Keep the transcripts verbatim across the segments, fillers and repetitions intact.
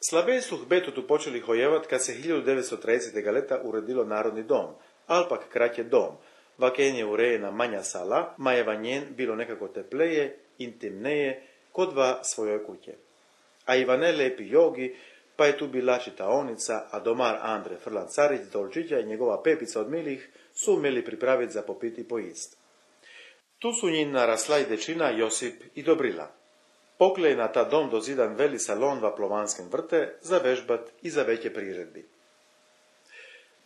Slabije su hbetu tu počeli hojevat kad se hiljadu devetsto tridesete leta uredilo Narodni dom, alpak kratje dom, vaken je urejena manja sala, ma je vanjen bilo nekako tepleje, intimneje, kod dva svojoj kuće. A Ivane lepi jogi, pa je tu bila čitaonica, a domar Andre Frlan Carić Dolčića i njegova pepica od milih su umeli pripraviti za popiti i pojist. Tu su njin narasla i dečina Josip i Dobrila. Pokle je na ta dom dozidan veli salon v Plovanskem vrte za vežbat i za veće priredbi.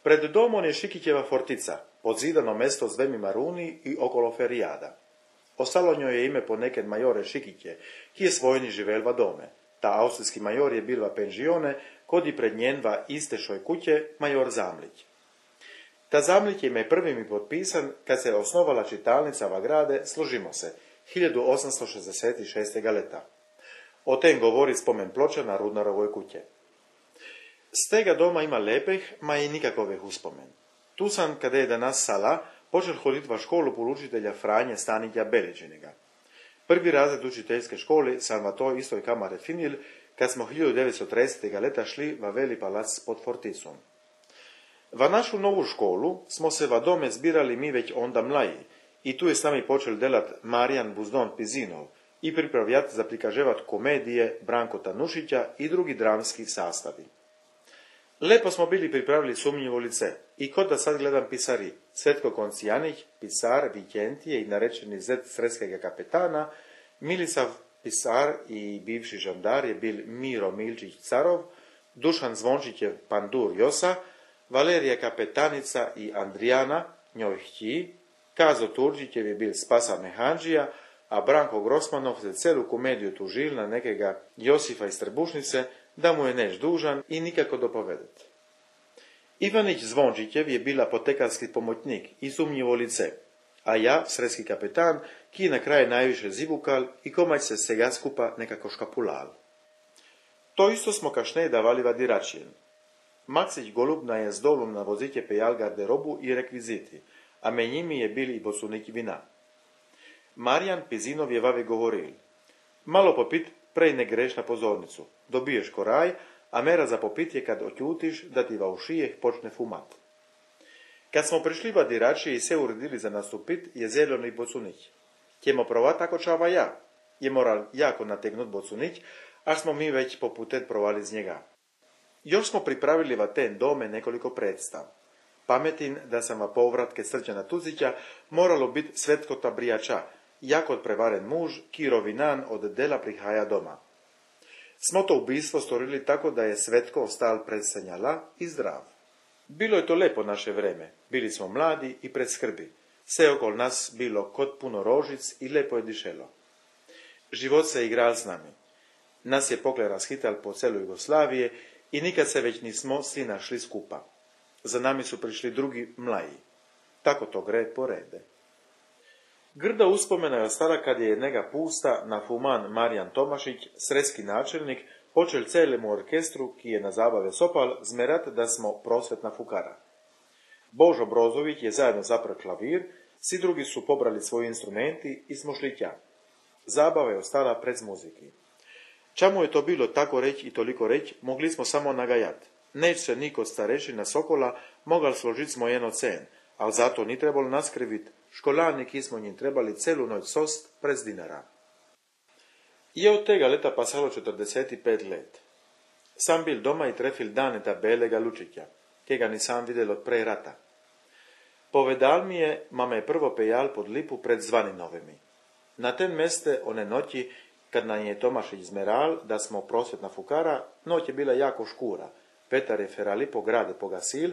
Pred domom je Šikićeva fortica, podzidano mesto z dvemi maruni i okolo ferijada. Ostalo njoj je ime po neked majore Šikiće, ki je svojni živel va dome. Ta austrijski major je bil va penžione, kod i pred njen va istešoj kuće major Zamlić. Ta Zamlić je ime prvi mi potpisan kad se osnovala čitalnica va grade Složimo se, hiljadu osamsto šezdeset šeste. leta. O tem govori spomen ploča na Rudnarovoj kuće. Z tega doma ima lepih, ma i nikakovih uspomen. Tu sam, kada je danas sala, počel hoditi va školu polučitelja Franje Stanitja Beličinega. Prvi razred učiteljske škole sam va to istoj kamare finil, kad smo hiljadu devetsto tridesete. leta šli va veli palac pod forticom. Va našu novu školu smo se va dome zbirali mi već onda mlaji, i tu je s nami počel delat Marijan Buzdon Pizinov i pripravljati za prikaževat komedije Branko Tanušića i drugi dramski sastavi. Lepo smo bili pripravili sumnjivo lice i kod da sad gledam pisari, Svetko Koncijanich, pisar Vikentije i narečeni zet sredskega kapetana, Milisav pisar i bivši žandar je bil Miro Milčić Carov, Dušan Zvončićev pandur Josa, Valerija kapetanica i Andrijana, njoj hći, Kazo Turđićev je bil Spasa Mehanđija, a Branko Grosmanov se celu komediju tužil na nekega Josifa iz Trbušnice, da mu je neš dužan i nikako dopovedet. Ivanić Zvončićev je bila potekarski pomoćnik i sumnjivo lice, a ja, sredski kapetan, ki na kraj najviše zivukal i komać se sega skupa nekako škapulal. To isto smo kašnej davali vadiračijen. Maksić Golubna je z dolom na vozitje pejal garderobu i rekviziti, a med njimi je bil i bosunik vina. Marijan Pizinov je vave govoril: malo popit, prej ne greš na pozornicu, dobiješ koraj, a mera za popit je kad otjutiš da ti va u šijeh počne fumat. Kad smo prišli vadirači i se uredili za nastupit, je zeleni bocunić. Ćemo provat ako čava ja. Je moral jako nategnut bocunić, a smo mi već poputet provali z njega. Još smo pripravili va ten dome nekoliko predstav. Pametin da sam va povratke Srđana Tuzića moralo biti Svetko Tabrijača, jak od prevaren muž, ki rovinan od dela prihaja doma. Smo to ubistvo storili tako da je Svetko ostal predsanjala i zdrav. Bilo je to lepo naše vreme, bili smo mladi i pred skrbi. Sve okol nas bilo kod puno rožic i lepo je dišelo. Život se igral s nami. Nas je pokle razhital po celu Jugoslavije i nikad se već nismo svi našli skupa. Za nami su prišli drugi mlaji. Tako to gre po rede. Grda uspomena je ostala kad je jednega pusta na fuman Marijan Tomašić, sredski načelnik, počel celemu orkestru, ki je na zabave sopal, zmerat da smo prosvetna fukara. Božo Brozović je zajedno zapr klavir, svi drugi su pobrali svoji instrumenti i smo šli tja. Zabava je ostala pred muziki. Čamu je to bilo tako reć i toliko reć, mogli smo samo nagajat. Neć se niko starešina Sokola mogal složit smo jedno cen, ali zato ni trebalo naskrivit, školani ki smo njim trebali celu noć sost prez dinara. Je od tega leta pasalo četrdeset pet let. Sam bil doma i trefil Daneta Belega Lučića, ki ga nisam videl od prej rata. Povedal mi je, ma me je prvo pejal pod lipu pred Zvaninovimi. Na ten meste one noći, kad nam je Tomašić zmeral, da smo prosvetna fukara, noć je bila jako škura. Petar je ferali po grade pogasil,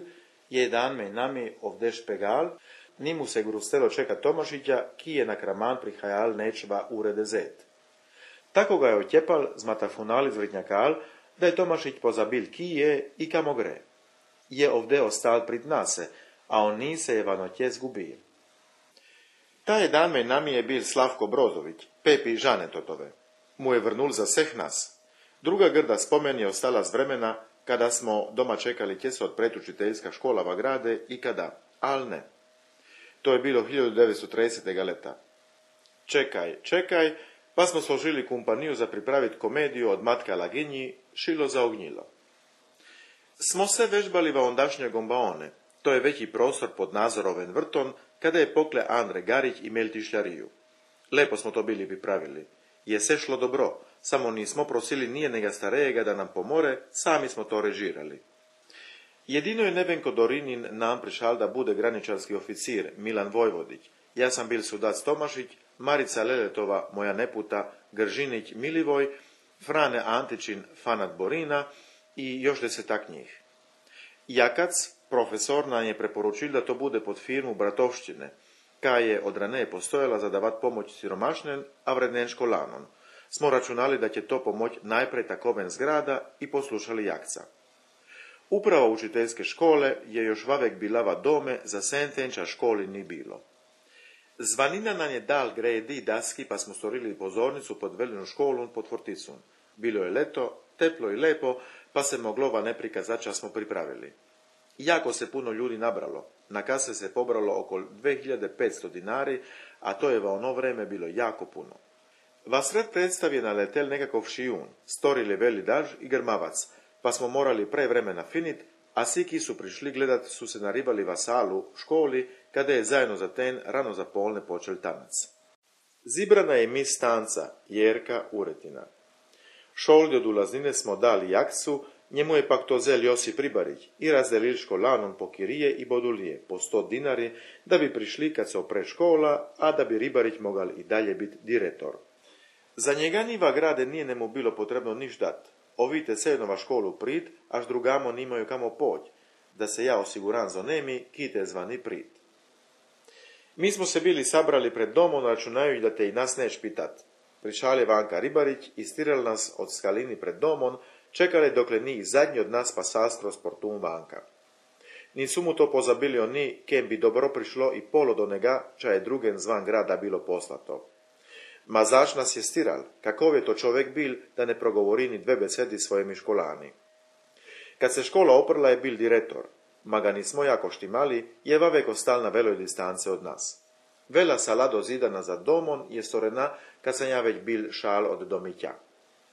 je dan me nami ovde špegal, ni mu se grustelo čeka Tomašića, ki je na kraman prihajal nečva urede zet. Tako ga je otjepal, zmatafunali zvritnjakal, da je Tomašić pozabil ki je i kamo gre. Je ovde ostal prid nase, a on ni se je vanotje zgubil. Taj dan me nami je bil Slavko Brozović, Pepi Žanetotove. Mu je vrnul za vseh nas. Druga grda spomen je ostala z vremena, kada smo doma čekali kje se odpret učiteljska škola va grade i kada, al ne. To je bilo hiljadu devetsto tridesetega leta. Čekaj, čekaj, pa smo složili kompaniju za pripraviti komediju od Matka Laginji, šilo zaognjilo. Smo se vežbali va ondašnje gombaone, to je veći prostor pod Nazoroven vrton, kada je pokle Andre Garić imel tišljariju. Lepo smo to bili pripravili. Je se šlo dobro, samo nismo prosili nije njega starejega da nam pomore, sami smo to režirali. Jedino je Nevenko Dorinin nam prišal da bude graničarski oficir Milan Vojvodić, ja sam bil sudac Tomašić, Marica Leletova, moja neputa, Gržinić Milivoj, Frane Antičin, Fanat Borina i još desetak njih. Jakac, profesor, nam je preporučil da to bude pod firmu bratovščine, ka je od raneje postojala za davat pomoć siromašnen, a vrednen školanon. Smo računali da će to pomoć najprej takoven zgrada i poslušali Jakca. Uprava učiteljske škole je još vavek bilava dome, za sentenča školi ni bilo. Zvanina nam je dal gredi i daski, pa smo storili pozornicu pod velinu školun pod forticun. Bilo je leto, teplo i lepo, pa se moglova ne prikazača smo pripravili. Jako se puno ljudi nabralo. Na kase se pobralo oko dve hiljade petsto dinari, a to je va ono vreme bilo jako puno. Va sred predstav je naletel nekakov šijun, storili veli daž i grmavac, pa smo morali pre vremena finit, a siki su prišli gledat su se naribali va salu školi, kada je zajedno za ten rano za polne počel tanac. Zibrana je mis tanca, Jerka Uretina. Šoldi od ulaznine smo dali Jakcu, njemu je pak to zel Josip Ribarić i razdelil školanom po kirije i bodulije, po sto dinari, da bi prišli kad se opre škola, a da bi Ribarić mogal i dalje biti direktor. Za njega niva grade nije nemu bilo potrebno niš dat. Ovite se jednova školu prit, až drugamo nimaju kamo poć, da se ja osiguran za nemi, kite zvani prit. Mi smo se bili sabrali pred domom, računajući da te i nas neš pitat. Prišal je Vanka Ribarić i stiral nas od skalini pred domom, čekali dokle ni zadnji od nas pa sastro sportum Vanka. Nisu mu to pozabili oni, kem bi dobro prišlo i polo do njega, ča je drugen zvan grada bilo poslato. Ma zaš nas je stiral, kakov je to čovek bil, da ne progovori ni dve besedi svojimi školani. Kad se škola oprla je bil direktor, ma ga nismo jako štimali, je vavek ostal na veloj distance od nas. Vela sala dozidana za domon je storena, kad sam ja već bil šal od domića.